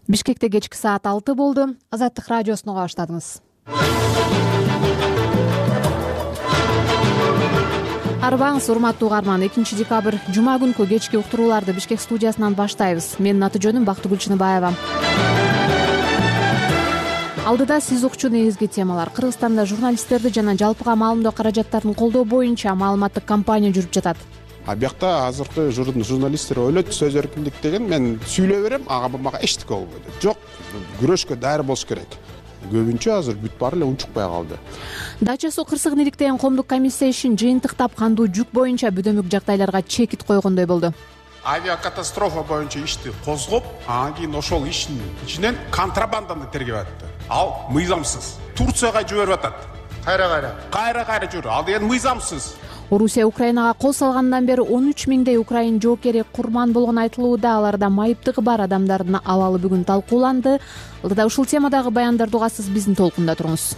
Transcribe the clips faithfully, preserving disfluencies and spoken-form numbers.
Бишкекте кечки саат алты болду. Азаттык радиосуна уга баштадыңыз. Арбаңыз, урматтуу угарман. экинчи декабрь жума күнкү кечки уктурууларды Бишкек студиясынан баштайбыз. Менин аты жөнүм Бактыгүл Чыныбаева. Алдыда сиз укчу негизги темалар. Кыргызстанда журналисттерди жана жалпыга маалымдоо каражаттарын колдоо боюнча маалыматтык кампания жүрүп жатат. А биякта азыркы журналисттер ойлойт, сөз эркиндик деген мен сүйлөй берем, ага мага эчтеке болбойт. Жок, күрөшкө даяр болуш керек. Көбүнчө азыр бүт баары эле унчукпай калды. Дача суу кырсыгын иликтеген коомдук комиссия ишин жыйынтыктап кандуу жүк боюнча бүдөмүк жагдайларга чекит койгондой болду. Авиакатастрофа боюнча ишти козгоп, анан кийин ошол иштин ичинен контрабанданы тергеп атты. Ал мыйзамсыз. Турцияга жиберип атат. Кайра-кайра. Кайра-кайра жүрүп. Ал деген мыйзамсыз. Орусия Украинага кол салгандан бери он үч миңдей украин жоокери курман болгону айтылууда. Аларда майыптыгы бар адамдардын абалы бүгүн талкууланды. Алдыда ушул темадагы баяндарды угасыз, биздин толкунда туруңуз.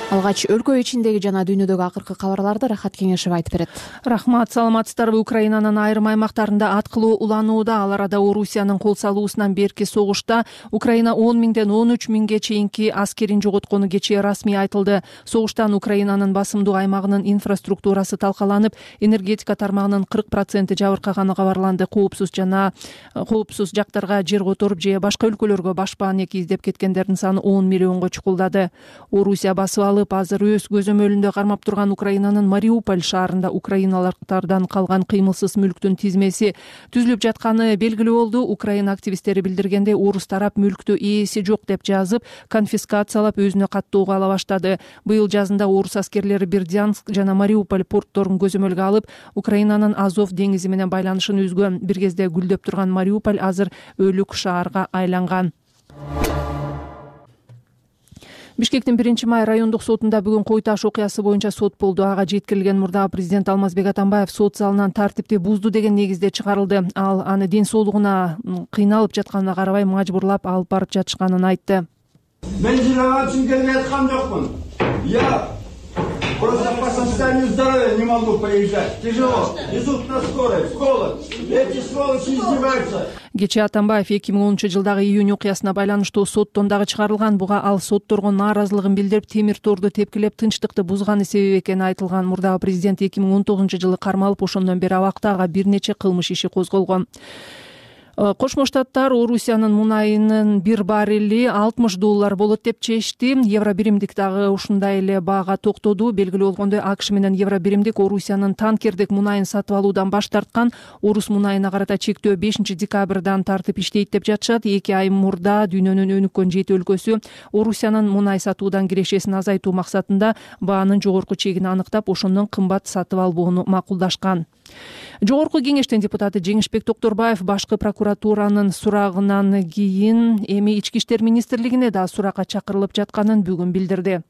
Алгач өлкө ичиндеги жана дүйнөдөгү акыркы кабарларды Рахат Кеңешева айтып берет. Рахмат, саламатсыздарбы? Украинанын айрым аймактарында ат кылуу уланууда. Ал арада Орусиянын кол салуусунан берки согушта Украина он миңден он үч миңге чейинки аскерин жоготкону кечээ расмий айтылды. Согуштан Украинанын басымдуу аймагынын инфраструктурасы талкаланып, энергетика тармагынын кырк проценти жабыркаганы кабарланды. Коопсуз жана коопсуз жактарга жер которуп же башка өлкөлөргө башпаан эки издеп кеткендердин саны он миллионго чукулдады. Орусия басып алып азыр өз көзөмөлүндө кармап турган Украинанын Мариуполь шаарында украиналыктардан калган кыймылсыз мүлктүн тизмеси түзүлүп жатканы белгилүү болду. Украина активисттери билдиргендей, орус тарап мүлктү ээси жок деп жазып, конфискациялап өзүнө каттоого ала баштады. Быйыл жазында орус аскерлери Бердянск жана Мариуполь портторун көзөмөлгө алып, Украинанын Азов деңизи менен байланышын үзгөн. Бир кезде гүлдөп турган Мариуполь азыр өлүк шаарга айланган. Бишкектин биринчи май райондук сотунда бүгүн Кой Таш окуясы боюнча сот болду. Ага жеткирилген мурдагы президент Алмазбек Атамбаев сот залынан тартипти бузду деген негизде чыгарылды. Ал аны ден соолугуна кыйналып жатканына карабай мажбурлап алып барып жатышканын айтты. Мен жылаган үчүн келип аткан жокмун. Я просто по состоянию здоровья не могу приезжать. Тяжело. Везут на скорой. Голод. Эти сволочи издеваются. Кечээ Атамбаев эки миң онунчу жылдагы июнь окуясына байланыштуу соттон дагы чыгарылган. Буга ал сотторго нааразылыгын билдирип, темир торду тепкилеп, тынчтыкты бузганы себеп экени айтылган. Мурдагы президент эки миң он тогузунчу жылы кармалып, ошондон бери абакта. Ага бир нече кылмыш иши козголгон. Кошмо Штаттар Орусиянын мунайынын бир баррели алтымыш доллар болот деп чечти. Евро биримдик дагы ушундай эле баага токтоду. Белгилүү болгондой, АКШ менен евро биримдик Орусиянын танкердик мунайын сатып алуудан баш тарткан. Орус мунайына карата чектөө бешинчи декабрдан тартып иштейт деп жатышат. эки ай мурда дүйнөнүн өнүккөн жети өлкөсү Орусиянын мунай сатуудан кирешесин азайтуу максатында баанын жогорку чегин аныктап, ошондон кымбат сатып албоону макулдашкан. Жогорку кеңештин депутаты Жеңишбек Токторбаев башкы прокуратуранын сурагынан кийин эми Ички иштер министрлигине да суракка чакырылып жатканын бүгүн билдирди.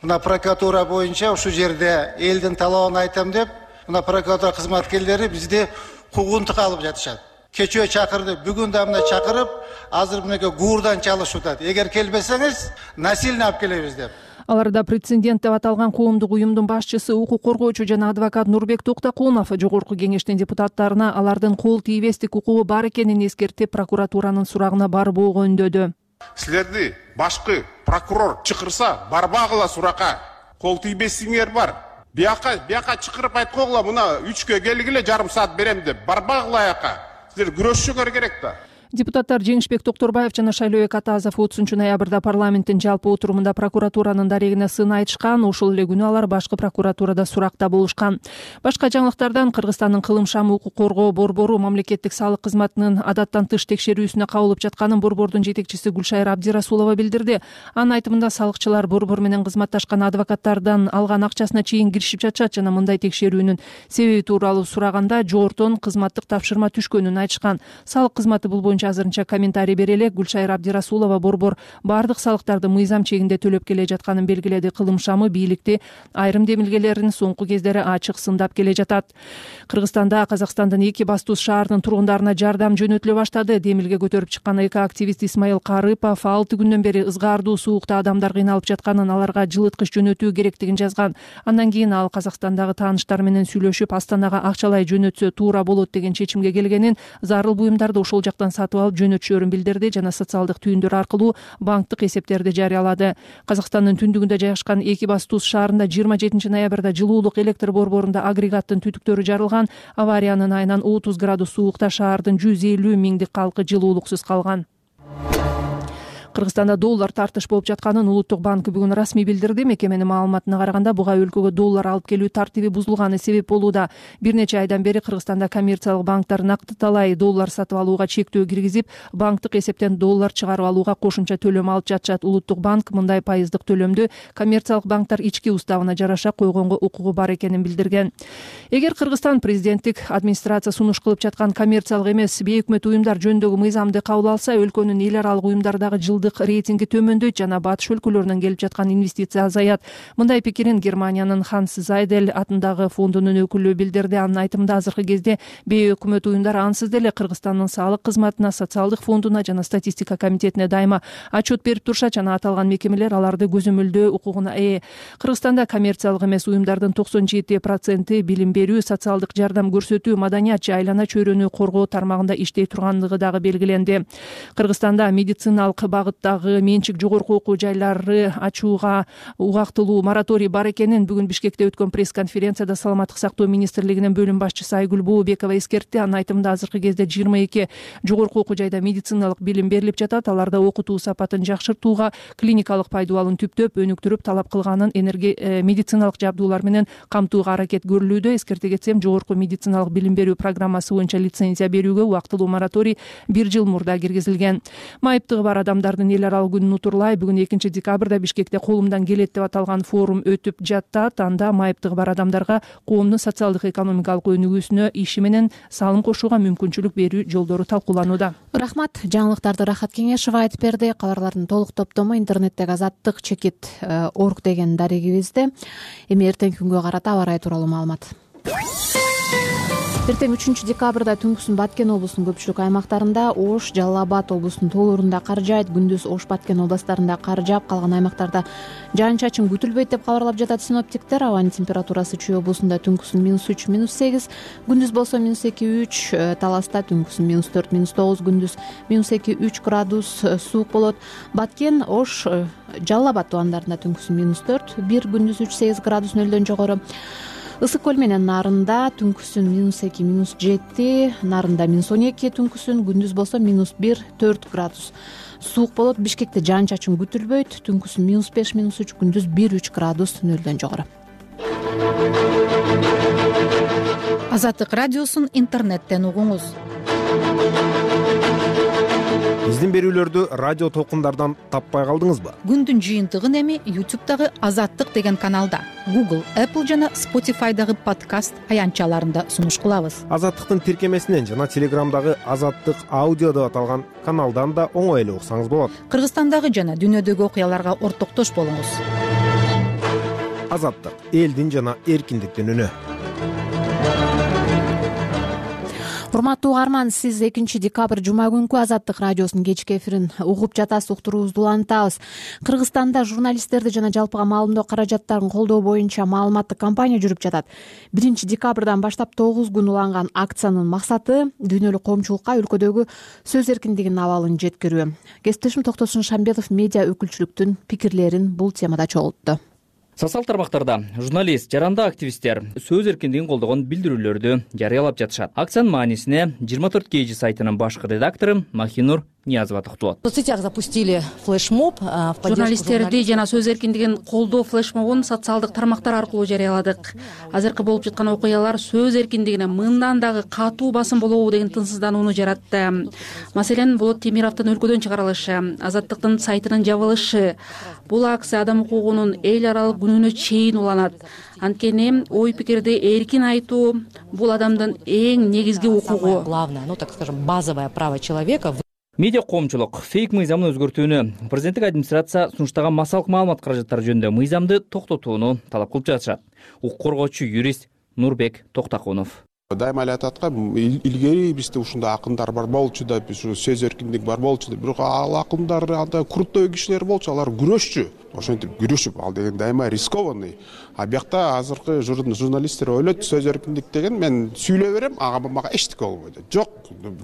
Мына прокуратура боюнча ушул жерде элдин талабын айтам деп, мына прокуратура кызматкерлери бизди куугунтукка алып жатышат. Кечөө чакырды, бүгүн да мына чакырып, азыр мынакей гуурдан чалышып атат. Эгер келбесеңиз, насильно алып келебиз деп. Аларда прецедент деп аталган коомдук уюмдун башчысы, укук коргоочу жана адвокат Нурбек Токтокунов жогорку кеңештин депутаттарына алардын кол тийбестик укугу бар экенин эскертип, прокуратуранын сурагына барбоого үндөдү. Силерди башкы прокурор чакырса, барбагыла суракка. Кол тийбестигиңер бар. Бияка, бияка чакырып айткогула, мына үчкө келгиле, жарым саат берем деп. Барбагыла аяка. Силер күрөшүңөр керек да. Депутаттар Жеңишбек Токторбаев жана Шайлообек Атазов отузунчу ноябрда парламенттин жалпы отурумунда прокуратуранын дарегине сын айтышкан. Ошол эле күнү алар башкы прокуратурада суракта болушкан. Башка жаңылыктардан Кыргызстандын кылым шамы укук коргоо борбору мамлекеттик салык кызматынын адаттан тыш текшерүүсүнө кабылып жатканын борбордун жетекчиси Гүлшайыр Абдирасулова билдирди. Анын айтымында салыкчылар борбор менен кызматташкан адвокаттардан алган акчасына чейин киришип жатышат жана мындай текшерүүнүн себеби тууралуу сураганда жогортон кызматтык тапшырма түшкөнүн айтышкан. Салык кызматы бул боюнча азырынча комментарий бере элек. Гүлшайыр Абдирасулова борбор бардык салыктарды мыйзам чегинде төлөп келе жатканын белгиледи. Кылым шамы бийликти айрым демилгелерин соңку кездери ачык сындап келе жатат. Кыргызстанда Казакстандын эки бастуз шаарынын тургундарына жардам жөнөтүлө баштады. Демилге көтөрүп чыккан эко-активист Исмаил Карыпов алты күндөн бери ызгаардуу суукта адамдар кыйналып жатканын, аларга жылыткыч жөнөтүү керектигин жазган. Андан кийин ал Казакстандагы тааныштары менен сүйлөшүп, Астанага акчалай жөнөтсө туура болот деген чечимге келгенин, зарыл буюмдарды ошол жактан сатып сатып алып жөнөтүшөрүн билдирди жана социалдык түйүндөр аркылуу банктык эсептерди жарыялады. Казакстандын түндүгүндө жайгашкан Экибастуз шаарында жыйырма жетинчи ноябрда жылуулук электр борборунда агрегаттын түтүктөрү жарылган. Авариянын айынан отуз градус суулукта шаардын жүз элүү миңдик калкы жылуулуксуз калган. Кыргызстанда доллар тартыш болуп жатканын Улуттук банк бүгүн расмий билдирди. Мекеменин маалыматына караганда буга өлкөгө доллар алып келүү тартиби бузулганы себеп болууда. Бир нече айдан бери Кыргызстанда коммерциялык банктар нактыталай доллар сатып алууга чектөө киргизип, банктык эсептен доллар чыгарып алууга кошумча төлөм алып жатышат. Улуттук банк мындай пайыздык төлөмдү коммерциялык банктар ички уставына жараша койгонго укугу бар экенин билдирген. Эгер Кыргызстан президенттик администрация сунуш кылып жаткан коммерциялык эмес бейөкмөт уюмдар жөнүндөгү мыйзамды кабыл алса, өлкөнүн эл аралык уюмдардагы жылдык рейтинги төмөндөйт жана батыш өлкөлөрүнөн келип жаткан инвестиция азаят. Мындай пикирин Германиянын Ханс Зайдель атындагы фондунун өкүлү билдирди. Анын айтымында азыркы кезде бейөкмөт уюмдар ансыз деле Кыргызстандын салык кызматына, социалдык фондуна жана статистика комитетине дайыма отчет берип турушат жана аталган мекемелер аларды көзөмөлдөө укугуна ээ. Кыргызстанда коммерциялык эмес уюмдардын токсон жети проценти билим берүү, социалдык жардам көрсөтүү, маданият же айлана чөйрөнү коргоо тармагында иштей тургандыгы дагы белгиленди. Кыргызстанда медициналык багыттагы менчик жогорку окуу жайлары ачууга убактылуу мораторий бар экенин бүгүн Бишкекте өткөн пресс-конференцияда Саламаттык сактоо министрлигинин бөлүм башчысы Айгүл Бообекова эскертти. Анын айтымында азыркы кезде жыйырма эки жогорку окуу жайда медициналык билим берилип жатат. Аларда окутуу сапатын жакшыртууга, клиникалык пайдубалын түптөп, өнүктүрүп, талап кылганын энерги медициналык жабдуулар менен камтууга аракет көрүлүүдө. Эскерте кетсем, жогорку медициналык билим берүү программасы боюнча лицензия берүүгө убактылуу мораторий бир жыл мурда киргизилген. Майыптыгы бар адамдардын эл аралык күнүн утурлай бүгүн экинчи декабрда Бишкекте колумдан келет деп аталган форум өтүп жатат. Анда майыптыгы бар адамдарга коомдун социалдык экономикалык өнүгүүсүнө иши менен салым кошууга мүмкүнчүлүк берүү жолдору талкууланууда. Рахмат. Жаңылыктарды Рахат Кеңешова айтып берди. Кабарлардын толук топтому интернеттеги азаттык чекит орг деген дарегибизде. Эми эртеңки күнгө карата аба ырайы тууралуу маалымат. Эртең үчүнчү декабрда түнкүсүн Баткен облусунун көпчүлүк аймактарында, Ош, Жалал Абад облусунун тоолорунда кар жаайт. Күндүз Ош, Баткен областарында кар жаап, калган аймактарда жаан-чачын күтүлбөйт деп кабарлап жатат синоптиктер. Абанын температурасы Чүй облусунда түнкүсүн минус үч, минус сегиз, күндүз болсо минус эки, үч, Таласта түнкүсүн минус төрт, минус тогуз, күндүз минус эки, үч градус суук болот. Баткен, Ош, Жалал Абад тубандарында түнкүсүн минус төрт, бир, күндүз үч, сегиз градус нөлдөн жогору. Ысык көл менен Нарында түнкүсүн минус эки, минус жети, Нарында минус он эки түнкүсүн, күндүз болсо минус бир, төрт градус суук болот. Бишкекте жаан-чачын күтүлбөйт, түнкүсүн минус беш, минус үч, күндүз бир, үч градус нөлдөн жогору. Азаттык радиосун интернеттен угуңуз. Биздин берүүлөрдү радио толкундардан таппай калдыңызбы? Күндүн жыйынтыгын эми ютубтагы Азаттык деген каналда, Google, Apple жана Spotify'дагы подкаст аянтчаларында сунуш кылабыз. Азаттыктын тиркемесинен жана Телеграмдагы Азаттык аудио деп аталган каналдан да оңой эле уксаңыз болот. Кыргызстандагы жана дүйнөдөгү окуяларга ортоктош болуңуз. Азаттык — элдин жана эркиндиктин үнү. Урматтуу угарман, сиз экинчи декабрь жума күнкү Азаттык радиосунун кечки эфирин угуп жатасыз, уктуруубузду улантабыз. Кыргызстанда журналисттерди жана жалпыга маалымдоо каражаттарын колдоо боюнча маалыматтык кампания жүрүп жатат. биринчи декабрдан баштап тогуз күн уланган акциянын максаты дүйнөлүк коомчулукка өлкөдөгү сөз эркиндигинин абалын жеткирүү. Кесиптешим Токтосун Шамбетов медиа өкүлчүлүктүн пикирлерин бул темада чогултту. Социал тармактарда журналист, жарандык активисттер сөз эркиндигин колдогон билдирүүлөрдү жарыялап жатышат. Акциянын маанисине жыйырма төрт кей жи сайтынын башкы редактору Махинур Ниязова токтолот. В соцсетях запустили флешмоб. Журналисттерди жана сөз эркиндигин колдоо флешмобун социалдык тармактар аркылуу жарыяладык. Азыркы болуп жаткан окуялар сөз эркиндигине мындан дагы катуу басым болобу деген тынчсызданууну жаратты. Маселен, Болот Темировдун өлкөдөн чыгарылышы, Азаттыктын сайтынын жабылышы. Бул акция адам укугунун эл аралык күнүнө чейин уланат. Анткени ой пикирди эркин айтуу бул адамдын эң негизги укугу. Главное, ну так скажем, базовое право человека. Медиа коомчулук фейк мыйзамын өзгөртүүнү, президенттик администрация сунуштаган массалык маалымат каражаттары жөнүндө мыйзамды токтотууну талап кылып жатышат. Укук коргоочу юрист Нурбек Токтакунов. Дайыма эле ататкан, илгери бизде ушундай акындар бар болчу да, биз сөз эркиндик бар болчу да, бирок ал акындар анда курттой кишилер болчу, алар күрөшчү. Ошентип күрөшүп, ал деген дайыма рискованный. А биякта азыркы журналисттер ойлойт, сөз эркиндик деген мен сүйлөй берем, ага мага эчтеке болбойт. Жок,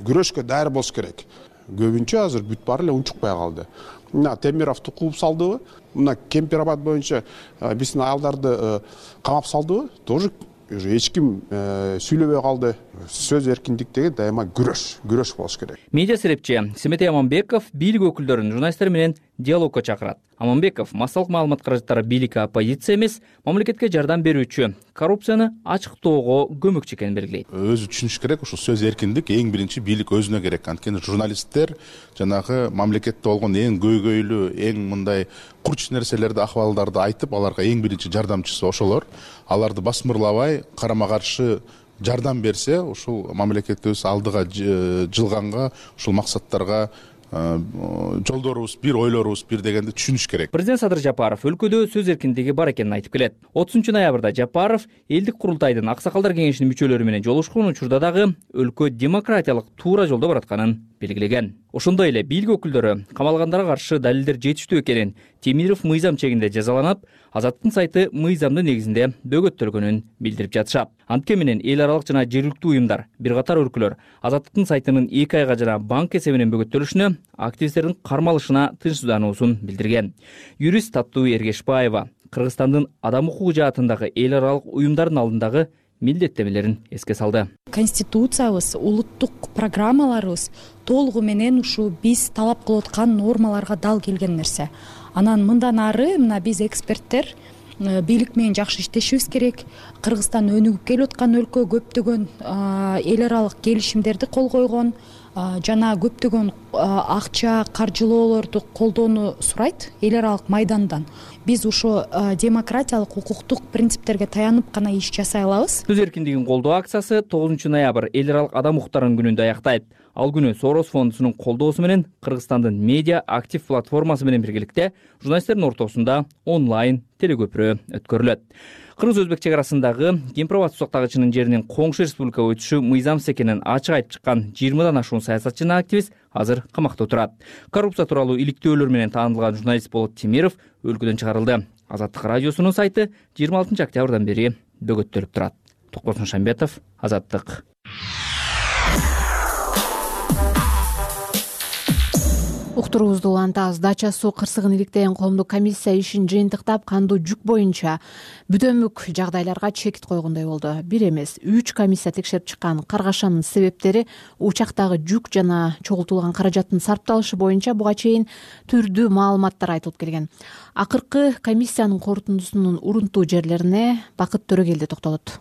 күрөшкө даяр болуш керек. көбүнчө азыр бүт баары эле унчукпай калды. Мына Темировду кууп салдыбы, мына Кемпирабад боюнча биздин аялдарды камап салдыбы, тоже уже эч ким сүйлөбөй калды. Сөз эркиндик деген дайыма күрөш, күрөш болуш керек. Медиа серепчи Семетей Аманбеков бийлик өкүлдөрүн журналисттер менен диалогко чакырат. Аманбеков массалык маалымат каражаттары бийликке оппозиция эмес, мамлекетке жардам берүүчү, коррупцияны ачыктоого көмөкчү экенин белгилейт. Өзү түшүнүш керек, ушул сөз эркиндик эң биринчи бийлик өзүнө керек. Анткени журналисттер жанагы мамлекетте болгон эң көйгөйлүү, эң мындай курч нерселерди, акыбалдарды айтып, аларга эң биринчи жардамчысы ошолор. Аларды басмырлабай, карама каршы жардам берсе, ушул мамлекетибиз алдыга жылганга, ушул максаттарга жолдорубуз бир, ойлорубуз бир дегенди түшүнүш керек. Президент Садыр Жапаров өлкөдө сөз эркиндиги бар экенин айтып келет. отузунчу ноябрда Жапаров элдик курултайдын аксакалдар кеңешинин мүчөлөрү менен жолугушкан учурда дагы өлкө демократиялык туура жолдо баратканын белгилеген. Ошондой эле бийлик өкүлдөрү камалгандарга каршы далилдер жетиштүү экенин, Темиров мыйзам чегинде жазаланып, Азаттыктын сайты мыйзамдын негизинде бөгөттөлгөнүн билдирип жатышат. Антке менен эл аралык жана жергиликтүү уюмдар, бир катар өлкөлөр Азаттыктын сайтынын эки айга жана банк эсебинен бөгөттөлүшүнө, активисттердин кармалышына тынчсыздануусун билдирген. Юрист Таттуу Эргешбаева Кыргызстандын адам укугу жаатындагы эл аралык уюмдардын алдындагы милдеттемелерин эске салды. Конституциябыз, улуттук программаларыбыз толугу менен ушу биз талап кылып аткан нормаларга дал келген нерсе. Анан мындан ары мына биз эксперттер бийлик менен жакшы иштешибиз керек. Кыргызстан өнүгүп келип аткан өлкө, көптөгөн эл аралык келишимдерди кол койгон, жана көптөгөн акча, каржылоолорду колдоону сурайт эл аралык майдандан. Биз ушу демократиялык, укуктук принциптерге таянып гана иш жасай алабыз. Сөз эркиндигин колдоо акциясы тогузунчу ноябрь эл аралык адам укуктарынын күнүндө аяктайт. Ал күнү Сорос фондунун колдоосу менен Кыргызстандын медиа актив платформасы менен биргеликте журналисттердин ортосунда онлайн телекөпүрө өткөрүлөт. Кыргыз-Өзбек чек арасындагы Кемпирабад сусактагычынын жеринин коңшу республикага өтүшү мыйзамсыз экенин ачык айтып чыккан жыйырмадан ашуун саясатчы жана активист азыр камакта отурат. Коррупция тууралуу иликтөөлөр менен таанылган журналист Болот Темиров өлкөдөн чыгарылды. Азаттык радиосунун сайты жыйырма алтынчы октябрдан бери бөгөттөлүп турат. Токболсун Шамбетов, Азаттык. Уктуруубузду улантабыз. Дача суу кырсыгын иликтеген коомдук комиссия ишин жыйынтыктап, кандуу жүк боюнча бүдөмүк жагдайларга чекит койгондой болду. Бир эмес, үч комиссия текшерип чыккан каргашанын себептери учактагы жүк жана чогултулган каражаттын сарпталышы боюнча буга чейин түрдүү маалыматтар айтылып келген. Акыркы комиссиянын корутундусунун урунтуу жерлерине Бакыт Төрөгелди токтолот.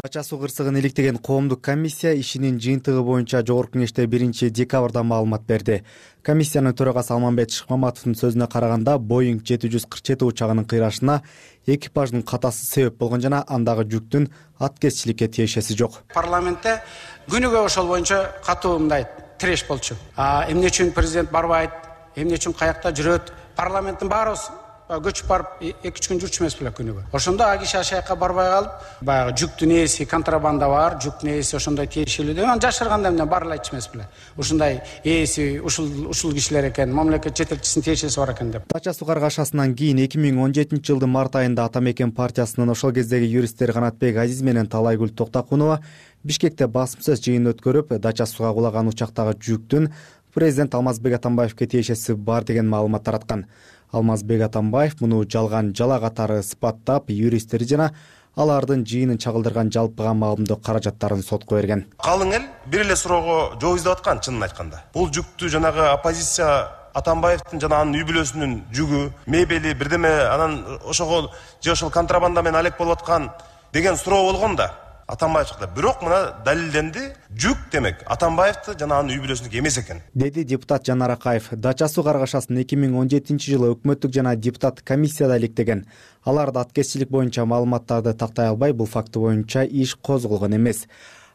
Дача суу кырсыгын иликтеген коомдук комиссия ишинин жыйынтыгы боюнча жогорку кеңеште биринчи декабрда маалымат берди. Комиссиянын төрагасы Алмамбет Шыкмаматовдун сөзүнө караганда, Боинг жети жүз кырк жети учагынын кыйрашына экипаждын катасы себеп болгон жана андагы жүктүн аткезчиликке тиешеси жок. Парламентте күнүгө ошол боюнча катуу мындай тиреш болчу. Эмне үчүн президент барбайт, эмне үчүн каякта жүрөт? Парламенттин баарыбыз көчүп барып эки үч күн жүрчү эмес беле күнүгө. Ошондо а киши ашаякка барбай калып, баягы жүктүн ээси контрабанда бар, жүктүн ээси ошондой тиешелүү деп, анан жашырганда эмне бар эле айтчу эмес беле. Ушундай ээси ушул ушул кишилер экен, мамлекет жетекчисинин тиешеси бар экен деп. Дача суу каргашасынан кийин эки миң он жетинчи жылдын март айында Ата Мекен партиясынын ошол кездеги юристтери Канатбек Азиз менен Талайгүл Токтакунова Бишкекте басымсыз жыйын өткөрүп, дача сууга кулаган учактагы жүктүн президент Алмазбек Атамбаевке тиешеси бар деген маалымат тараткан. Алмазбек Атамбаев муну жалган жала катары ысбаттап, юристтери жана алардын жыйынын чагылдырган жалпыга маалымдоо каражаттарын сотко берген. Калың эл бир эле суроого жооп издеп аткан, чынын айтканда. Бул жүктү жанагы оппозиция Атамбаевдин жана анын үй бүлөсүнүн жүгү, мебели, бирдеме анан ошого же ошол контрабанда менен алек болуп аткан деген суроо болгон да. Атамбаев чыкты. Бирок мына далилденди, жүк демек Атамбаевди жана анын үй бүлөсүнүкү эмес экен. Деди депутат Жанар Акаев. Дача суу каргашасын эки миң он жетинчи жылы өкмөттүк жана депутат комиссияда иликтеген. Алар да аткезчилик боюнча маалыматтарды тактай албай, бул факты боюнча иш козголгон эмес.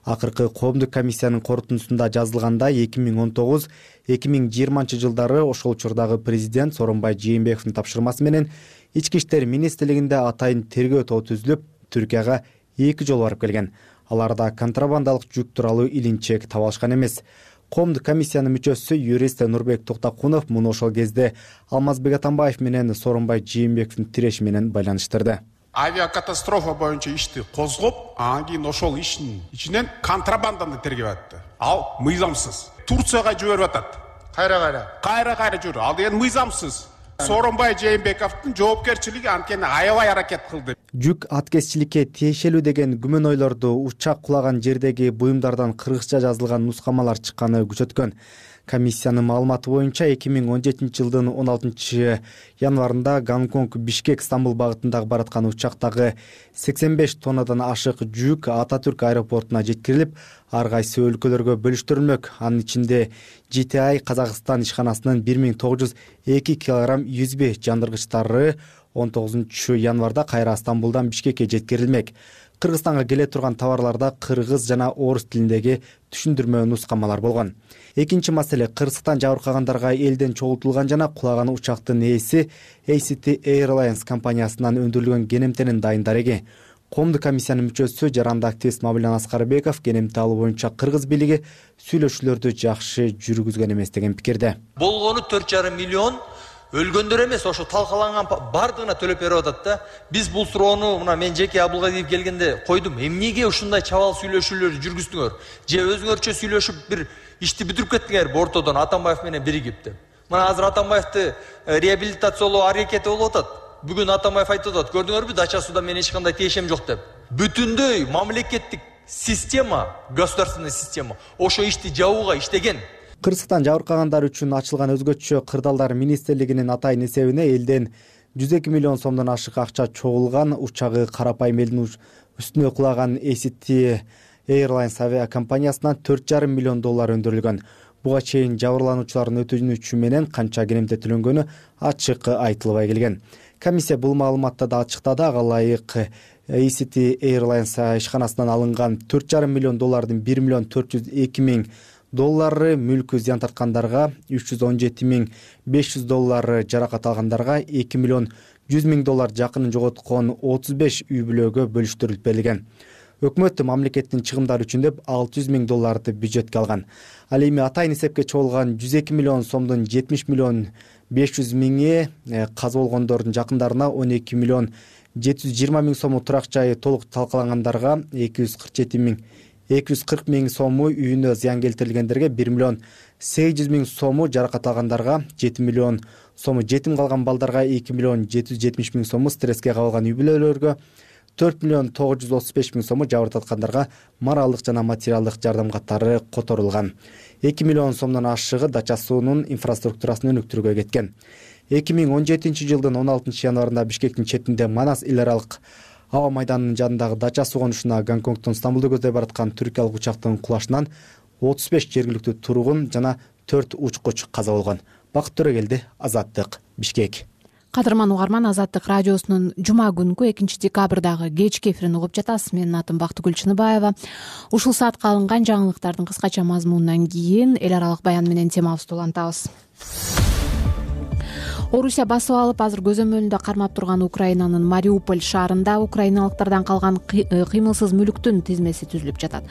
Акыркы коомдук комиссиянын корутундусунда жазылгандай, эки миң он тогуз эки миң жыйырманчы жылдары ошол учурдагы президент Сооронбай Жээнбековдун тапшырмасы менен ички иштер министрлигинде атайын тергөө тобу түзүлүп, Түркияга эки жолу барып келген. Аларда контрабандалык жүк тууралуу илинчек таба алышкан эмес. Коомдук комиссиянын мүчөсү юрист Нурбек Токтакунов муну ошол кезде Алмазбек Атамбаев менен Сооронбай Жээнбековдун тиреши менен байланыштырды. Авиакатастрофа боюнча ишти козгоп, анан кийин ошол иштин ичинен контрабанданы тергеп атты. Ал мыйзамсыз. Турцияга жиберип атат. кайра кайра кайра кайра жүр. Ал деген мыйзамсыз. Сооронбай Жээнбековдун жоопкерчилиги анткени аябай аракет кылды. Жүк аткезчиликке тиешелүү деген күмөнөйлөрдү учак кулаган жердеги буюмдардан кыргызча жазылган нускамалар чыкканы күчөткөн. Комиссиянын маалыматы боюнча эки миң он жетинчи жылдын он алтынчы январында Гонконг Бишкек Стамбул багытындагы бараткан учактагы сексен беш тоннадан ашык жүк Ататүрк аэропортуна жеткирилип, ар кайсы өлкөлөргө бөлүштүрүлмөк. Анын ичинде Джи Ти Ай Казакстан ишканасынын бир миң тогуз жүз эки килограмм юзби жандыргычтары он тогузунчу январда кайра Стамбулдан Бишкекке жеткирилмек. Кыргызстанга келе турган товарларда кыргыз жана орус тилиндеги түшүндүрмө нускамалар болгон. Экинчи маселе, кырсыктан жабыркагандарга элден чогултулган жана кулаган учактын ээси A C T Airlines компаниясынан өндүрүлгөн генемтенин дайын дареги. Коомдук комиссиянын мүчөсү жарандык активист Мамилан Аскарбеков генемте алуу боюнча кыргыз бийлиги сүйлөшүүлөрдү жакшы жүргүзгөн эмес деген пикирде. Болгону төрт жарым миллион, өлгөндөр эмес, ошо талкаланган бардыгына төлөп берип атат да. Биз бул суроону мына мен жеке Абылгадиев келгенде койдум. Эмнеге ушундай чабал сүйлөшүүлөрдү жүргүздүңөр? Же өзүңөрчө сүйлөшүп бир ишти бүтүрүп кеттиңер ортодон Атамбаев менен биригип деп. Мына азыр Атамбаевди реабилитациялоо аракети болуп атат. Бүгүн Атамбаев айтып атат, көрдүңөрбү, дача суда мен эч кандай тиешем жок деп. Бүтүндөй мамлекеттик система, государственный система ошо ишти жабууга иштеген. Кырсыктан жабыркагандар үчүн ачылган өзгөчө кырдаалдар министрлигинин атайын эсебине элден жүз эки миллион сомдон ашык акча чогулган, учагы карапайым элдин үстүнө кулаган A C T Airlines авиакомпаниясынан төрт жарым миллион доллар өндүрүлгөн. Буга чейин жабырлануучулардын өтүнүчү менен канча генемте төлөнгөнү ачык айтылбай келген. Комиссия бул маалыматты да ачыктады. Ага ылайык A C T Airlines ишканасынан алынган төрт жарым миллион доллардын бир миллион төрт жүз эки миң доллары мүлкү зыян тарткандарга, үч жүз он жети миң беш жүз доллары жаракат алгандарга, эки миллион жүз миң доллар жакынын жоготкон отуз беш үй бүлөгө бөлүштүрүлүп берилген. Өкмөт мамлекеттин чыгымдары үчүн деп алты жүз миң долларды бюджетке алган. Ал эми атайын эсепке чогулган жүз эки миллион сомдун жетимиш миллион беш жүз миңи каза болгондордун жакындарына, он эки миллион жети жүз жыйырма миң сому турак жайы толук талкалангандарга, эки жүз кырк жети миң эки жүз кырк миң сому үйүнө зыян келтирилгендерге, бир миллион сегиз жүз миң сому жаракат алгандарга, жети миллион сому жетим калган балдарга, эки миллион жети жүз жетимиш миң сому стресске кабылган үй бүлөлөргө, төрт миллион тогуз жүз отуз беш миң сому жабыр тарткандарга моралдык жана материалдык жардам катары которулган. эки миллион сомдон ашыгы дача суунун инфраструктурасын өнүктүрүүгө кеткен. эки миң он жетинчи жылдын он алтынчы январында Бишкектин четинде Манас эл аралык аба майданынын жанындагы дача суу конушуна Гонконгдон Стамбулду көздөй бараткан түркиялык учактын кулашынан отуз беш жергиликтүү тургун жана төрт учкуч каза болгон. Бакыт Төрөгелди, Азаттык, Бишкек. Кадырман угарман, Азаттык радиосунун жума күнкү экинчи декабрдагы кечки эфирин угуп жатасыз. Менин атым Бактыгүл Чыныбаева. Ушул саатка алынган жаңылыктардын кыскача мазмунунан кийин эл аралык баян менен темабызды улантабыз. Орусия басып алып, азыр көзөмөлүндө кармап турган Украинанын Мариуполь шаарында украиналыктардан калган кыймылсыз мүлүктүн тизмеси түзүлүп жатат.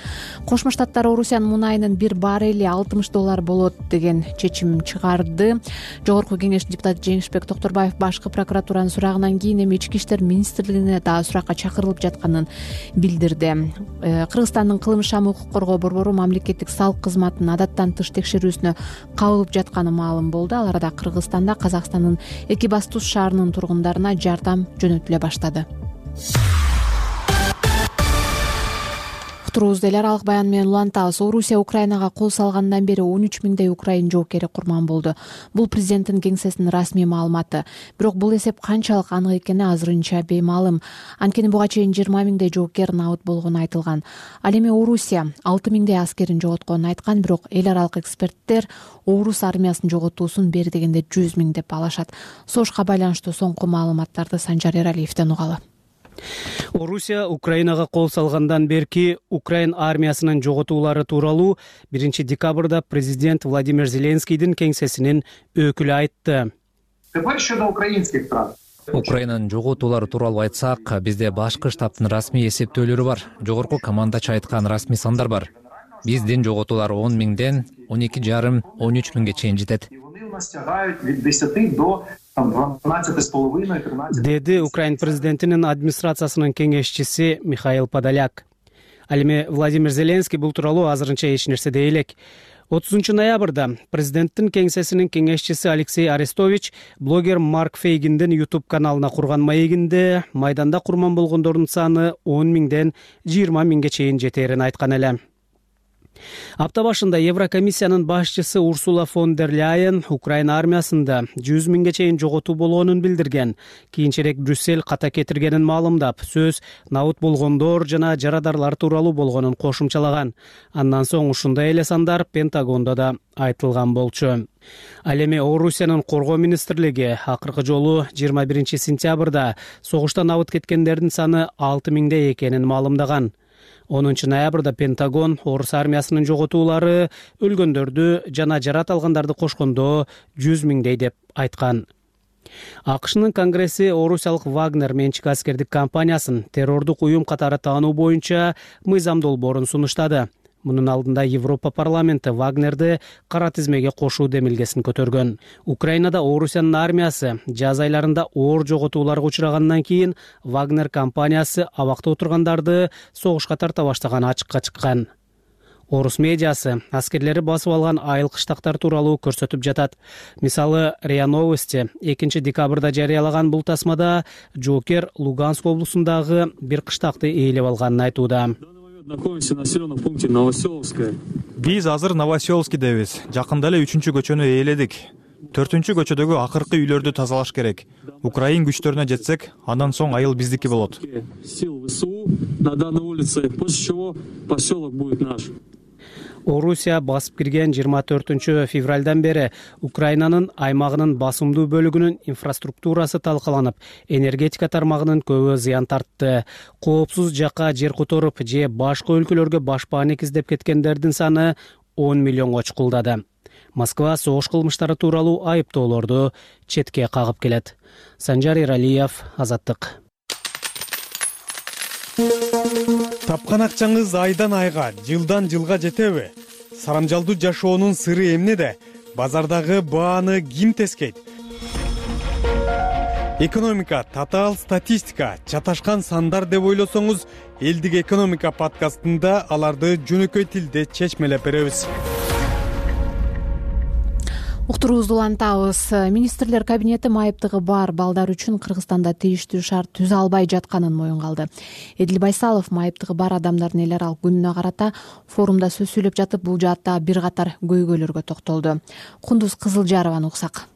Кошмо Штаттар Орусиянын мунайынын бир баррели алтымыш доллар болот деген чечим чыгарды. Жогорку кеңеш депутаты Жеңишбек Токторбаев башкы прокуратуранын сурагынан кийин эми ички иштер министрлигине дагы суракка чакырылып жатканын билдирди. Кыргызстандын кылмыш иши укук коргоо борбору мамлекеттик салык кызматынын адаттан тыш текшерүүсүнө кабылып жатканы маалым болду. Ал арада Кыргызстанда Казакстандын Экибастуз шаарынын тургундарына жардам жөнөтүлө баштады. Турубузду эл аралык баян менен улантабыз. Орусия Украинага кол салгандан бери он үч миңдей украин жоокери курман болду. Бул президенттин кеңсесинин расмий маалыматы. Бирок бул эсеп канчалык анык экени азырынча беймаалым. Анткени буга чейин жыйырма миңдей жоокер набыт болгону айтылган. Ал эми Орусия алты миңдей аскерин жоготконун айткан, бирок эл аралык эксперттер орус армиясын жоготуусун бери дегенде жүз миң деп алышат. Согушка байланыштуу соңку маалыматтарды Санжар Эралиевден угалы. Орусия Украинага кол салгандан берки Украин армиясынын жоготуулары тууралуу биринчи декабрда президент Владимир Зеленскийдин кеңсесинин өкүлү айтты. Украинанын жоготуулары тууралуу айтсак, бизде башкы штабтын расмий эсептөөлөрү бар, жогорку командачы айткан расмий сандар бар. Биздин жоготуулар он миңден он эки жарым он үч миңге чейин жетет. Деди Украин президентинин администрациясынын кеңешчиси Михаил Подоляк. Ал эми Владимир Зеленский бул тууралуу азырынча эч нерсе дей элек. отузунчу ноябрда президенттин кеңсесинин кеңешчиси Алексей Арестович блогер Марк Фейгиндин YouTube каналына курган маегинде майданда курман болгондордун саны он миңден жыйырма миңге чейин жетерин айткан эле. Апта башында Еврокомиссиянын башчысы Урсула фон дер Ляйен Украина армиясында жүз миңге чейин жоготуу болгонун билдирген. Кийинчерээк Брюссель ката кетиргенин маалымдап, сөз набыт болгондор жана жарадарлар тууралуу болгонун кошумчалаган. Андан соң ушундай эле сандар Пентагондо да айтылган болчу. Ал эми Орусиянын коргоо министрлиги акыркы жолу жыйырма биринчи сентябрда согуштан набыт кеткендердин саны алты миңде экенин маалымдаган. онунчу ноябрда Пентагон орус армиясынын жоготуулары өлгөндөрдү жана жарат алгандарды кошкондо жүз миңдей деп айткан. АКШнын Конгресси орусиялык Вагнер менчик аскердик компаниясын террордук уюм катары таануу боюнча мыйзам долбоорун сунуштады. Мунун алдында Европа парламенти Вагнерди кара тизмеге кошуу демилгесин көтөргөн. Украинада Орусиянын армиясы жаз айларында оор жоготууларга учурагандан кийин Вагнер компаниясы абакта отургандарды согушка тарта баштаганы ачыкка чыккан. Орус медиасы аскерлери басып алган айыл кыштактар тууралуу көрсөтүп жатат. Мисалы, РИА Новости экинчи декабрда жарыялаган бул тасмада жоокер Луганск облусундагы бир кыштакты ээлеп алганын айтууда. Находимся в населенном пункте Новоселовская. Биз азыр Новоселовскийдебиз. Жакында эле үчүнчү көчөнү ээледик. төртүнчү көчөдөгү акыркы үйлөрдү тазалаш керек. Украин күчтөрүнө жетсек, андан соң айыл биздики болот. Сил ВСУ на данной улице, после чего поселок будет наш. Орусия басып кирген жыйырма төртүнчү февралдан бери Украинанын аймагынын басымдуу бөлүгүнүн инфраструктурасы талкаланып, энергетика тармагынын көбү зыян тартты. Коопсуз жакка жер которуп же башка өлкөлөргө башпаанек издеп кеткендердин саны он миллионго чукулдады. Москва согуш кылмыштары тууралуу айыптоолорду четке кагып келет. Санжар Иралиев, Азаттык. Тапкан акчаңыз айдан айга, жылдан жылга жетеби? Сарамжалдуу жашоонун сыры эмнеде? Базардагы бааны ким тескейт? Экономика, татаал статистика, чаташкан сандар деп ойлосоңуз, Элдик экономика подкастында аларды жөнөкөй тилде чечмелеп беребиз. Уктуруубузду улантабыз. Министрлер кабинети майыптыгы бар балдар үчүн Кыргызстанда тийиштүү шарт түзө албай жатканын моюнга алды. Эдил Байсалов майыптыгы бар адамдардын эл аралык күнүнө карата форумда сөз сүйлөп жатып, бул жаатта бир катар көйгөйлөргө токтолду. Кундуз Кызылжарованы уксак.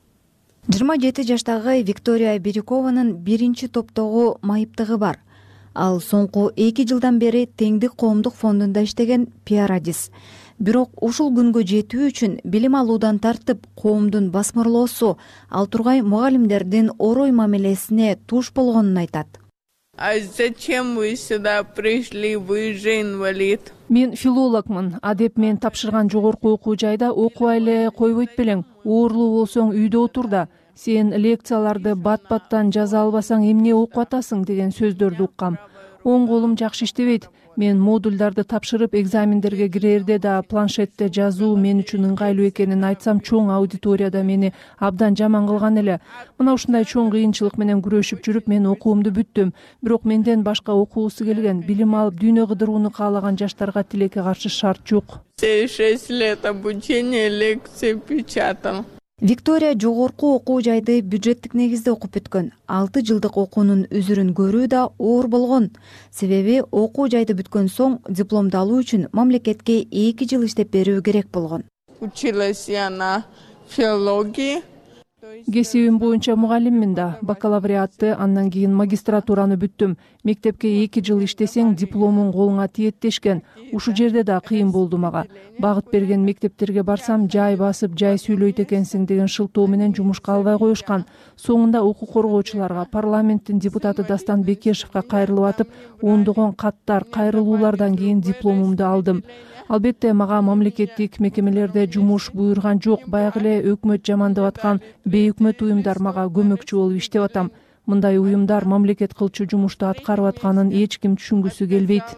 жыйырма жети жаштагы Виктория Бирюкованын биринчи топтогу майыптыгы бар. Ал соңку эки жылдан бери Теңдик коомдук фондунда иштеген пиарадис. Бирок ушул күнгө жетүү үчүн билим алуудан тартып коомдун басмырлоосу, ал тургай мугалимдердин орой мамилесине туш болгонун айтат. А зачем вы сюда пришли? Вы же инвалид. Мен филологмун. Адеп мен тапшырган жогорку окуу жайда окубай эле койбойт белең. Оорлуу болсоң үйдө отур да. Сен лекцияларды бат-баттан жаза албасаң эмне окуп атасың деген сөздөрдү уккам. Оң колум жакшы иштебейт. Мен модулдарды тапшырып экзамендерге кирерде да планшетте жазуу мен үчүн ыңгайлуу экенин айтсам, чоң аудиторияда мени абдан жаман кылган эле. Мына ушундай чоң кыйынчылык менен күрөшүп жүрүп мен окуумду бүттүм. Бирок менден башка окуусу келген, билим алып дүйнө кыдырууну каалаган жаштарга тилекке каршы шарт жок. шесть лет обучения, лекции печатал. Виктория жогорку окуу жайды бюджеттик негизде окуп бүткөн. алты жылдык окуунун үзүрүн көрүү да оор болгон. Себеби окуу жайды бүткөн соң дипломду алуу үчүн мамлекетке эки жыл иштеп берүү керек болгон. Училась я на филологии. Кесибим боюнча мугалиммин да. Бакалавриатты, андан кийин магистратураны бүттүм. Мектепке эки жыл иштесең дипломуң колуңа тиет дешкен. Ушу жерде да кыйын болду мага. Багыт берген мектептерге барсам, жай басып, жай сүйлөйт экенсиң деген шылтоо менен жумушка албай коюшкан. Соңунда укук коргоочуларга, парламенттин депутаты Дастан Бекешевге кайрылып атып, ондогон каттар, кайрылуулардан кийин дипломумду алдым. Албетте мага мамлекеттик мекемелерде жумуш буйрган жок. Баягы эле өкмөт жамандап аткан бейөкмөт уюмдар мага көмөкчү болуп иштеп атам. Мындай уюмдар мамлекет кылчу жумушту аткарып атканын эч ким түшүнгүсү келбейт.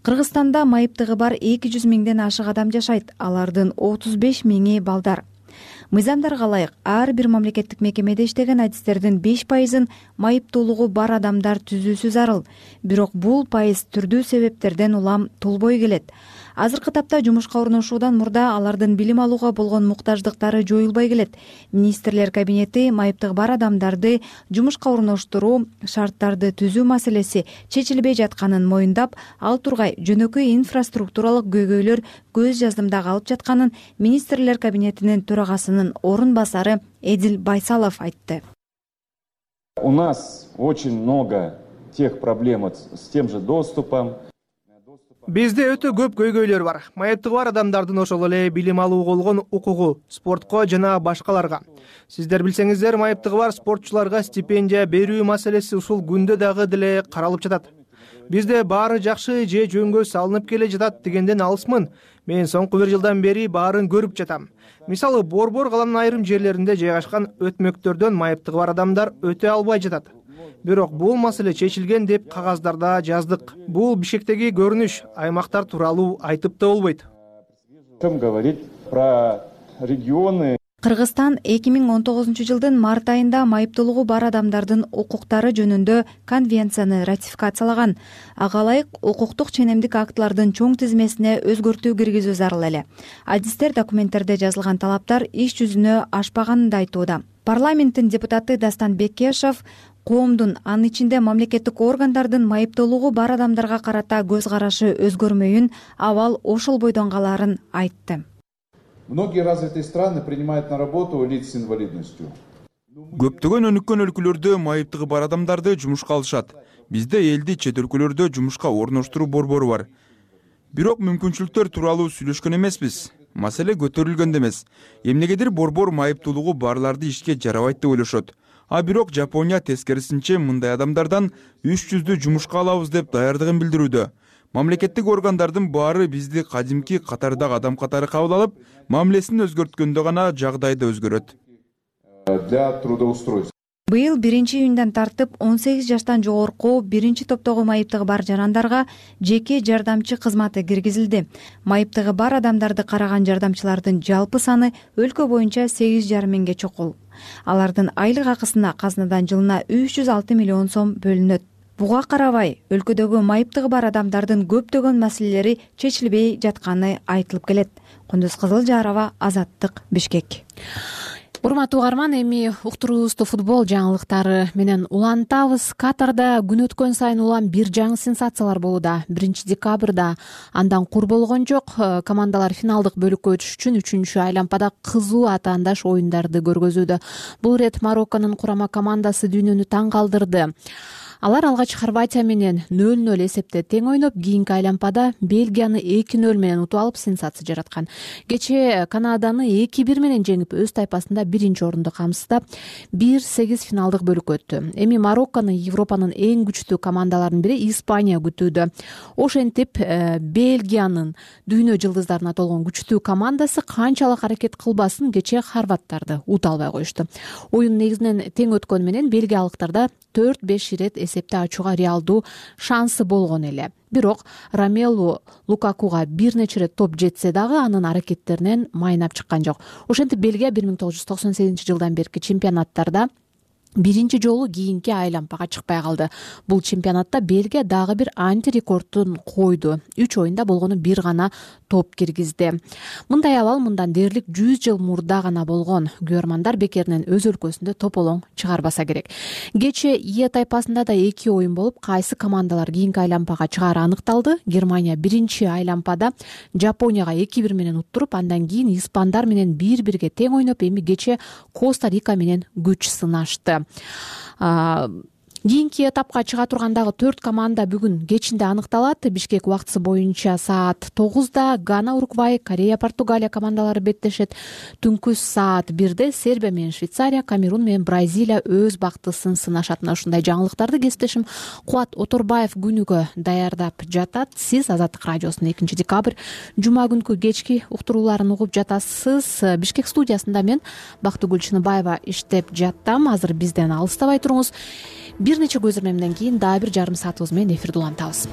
Кыргызстанда майыптыгы бар эки жүз миңден ашык адам жашайт. Алардын отуз беш миңи балдар. Мыйзамдарга ылайык ар бир мамлекеттик мекемеде иштеген адистердин беш пайызын майыптуулугу бар адамдар түзүүсү зарыл. Бирок бул пайыз түрдүү себептерден улам толбой келет. азыркы тапта жумушка орношуудан мурда алардын билим алууга болгон муктаждыктары жоюлбай келет. Министрлер кабинети майыптыгы бар адамдарды жумушка орноштуруу шарттарды түзүү маселеси чечилбей жатканын моюндап, ал тургай жөнөкөй инфраструктуралык көйгөйлөр көз жаздымда калып жатканын министрлер кабинетинин төрагасынын орун басары Эдил Байсалов айтты. У нас очень много тех проблем с тем же доступом. Бизде өтө көп көйгөйлөр бар. Майыптыгы бар адамдардын ошол эле билим алууга болгон укугу, спортко жана башкаларга. Сиздер билсеңиздер, майыптыгы бар спортчуларга стипендия берүү маселеси ушул күндө дагы деле каралып жатат. Бизде баары жакшы же жөнгө салынып келе жатат дегенден алысмын. Мен соңку бир жылдан бери баарын көрүп жатам. Мисалы, Борбор каланын айрым жерлеринде жайгашкан өтмөктөрдөн майыптыгы бар адамдар өтө албай жатат. Бирок бул маселе чечилген деп кагаздарда жаздык. Бул Бишкектеги көрүнүш, аймактар тууралуу айтып да болбойт. Ким говорит про регионы? Кыргызстан эки миң он тогузунчу жылдын март айында майыптуулугу бар адамдардын укуктары жөнүндө конвенцияны ратификациялаган. Ага ылайык укуктук ченемдик актылардын чоң тизмесине өзгөртүү киргизүү зарыл эле. Адистер документтерде жазылган талаптар иш жүзүнө ашпаганын да айтууда. Парламенттин депутаты Дастан Бекешев коомдун, анын ичинде мамлекеттик органдардын майыптуулугу бар адамдарга карата көз карашы өзгөрмөйүн, абал ошол бойдон калаарын айтты. Многие развитые страны принимают на работу лиц с инвалидностью. Көптөгөн өнүккөн өлкөлөрдө майыптыгы бар адамдарды жумушка алышат. Бизде элди чет өлкөлөрдө жумушка орноштуруу борбору бар. Бирок мүмкүнчүлүктөр тууралуу сүйлөшкөн эмеспиз. Маселе көтөрүлгөн эмес. Эмнегедир борбор майыптуулугу барларды ишке жарабайт деп ойлошот. А бирок Жапония тескерисинче мындай адамдардан үч жүздү жумушка алабыз деп даярдыгын билдирүүдө. Мамлекеттик органдардын баары бизди кадимки катардагы адам катары кабыл алып, мамилесин өзгөрткөндө гана жагдайды өзгөрөт. Для трудоустройства. Быйыл биринчи июндан тартып он сегиз жаштан жогорку биринчи топтогу майыптыгы бар жарандарга жеке жардамчы кызматы киргизилди. Майыптыгы бар адамдарды караган жардамчылардын жалпы саны өлкө боюнча сегиз жарым миңге чукул. Алардын айлык акысына казынадан жылына үч жүз алты миллион сом бөлүнөт. Буга карабай, өлкөдөгү майыптыгы бар адамдардын көптөгөн маселелери чечилбей жатканы айтылып келет. Кундуз Кызылжарова, Азаттык, Бишкек. Урматтуу угарман, эми уктуруубузду футбол жаңылыктары менен улантабыз. Катарда күн өткөн сайын улам бир жаңы сенсациялар болууда. биринчи декабрда андан кур болгон жок. Командалар финалдык бөлүккө өтүш үчүн үчүнчү айланпада кызуу атаандаш оюндарды көргөзүүдө. Бул ирет Марокконун курама командасы дүйнөнү таң калтырды. Алар алгач Хорватия менен нөл нөл эсепте тең ойноп, кийинки айланпада Бельгияны эки нөл менен утуп алып сенсация жараткан. Кечээ Канаданы эки бир менен жеңип, өз тайпасында биринчи орунду камсыздап, бир сегиз финалдык бөлүккө өттү. Эми Мароккону Европанын эң күчтүү командаларынын бири Испания күтүүдө. Ошентип Бельгиянын дүйнө жылдыздарына толгон күчтүү командасы канчалык аракет кылбасын кечээ хорваттарды ута албай коюшту. Оюн негизинен тең өткөнү менен бельгиялыктарда төрт беш ирет эсепте ачууга реалдуу шансы болгон эле. Бирок Ромелу Лукакуга бир нече ирет топ жетсе дагы анын аракеттеринен майнап чыккан жок. Ошентип Бельгия бир миң тогуз жүз токсон сегизинчи жылдан берки чемпионаттарда биринчи жолу кийинки айланпага чыкпай калды. Бул чемпионатта Бельгия дагы бир антирекордун койду. үч оюнда болгону бир гана топ киргизди. Мындай абал мындан дээрлик жүз жыл мурда гана болгон. Күйөрмандар бекеринен өз өлкөсүндө тополоң чыгарбаса керек. Кечээ Е тайпасында да эки оюн болуп, кайсы командалар кийинки айланпага чыгаары аныкталды. Германия биринчи айланпада Жапонияга эки бир менен уттуруп, андан кийин испандар менен бир бирге тең ойноп, эми кечээ Коста-Рика менен күч сынашты. Кийинки этапка чыга турган дагы төрт команда бүгүн кечинде аныкталат. Бишкек убактысы боюнча саат тогузда Гана Уругвай, Корея Португалия командалары беттешет. Түнкү саат бирде Сербия менен Швейцария, Камерун менен Бразилия өз бактысын сынашат. Ушундай жаңылыктарды кесиптешим Кубат Оторбаев күнүгө даярдап жатат. Сиз Азаттык радиосунун экинчи декабрь жума күнкү кечки уктурууларын угуп жатасыз. Бишкек студиясында мен Бактыгүл Чыныбаева иштеп жаттым. Азыр бизден алыстабай туруңуз. Бир нече көзөрмөмдөн кийин дагы бир жарым саатыбыз менен эфирде улантабыз.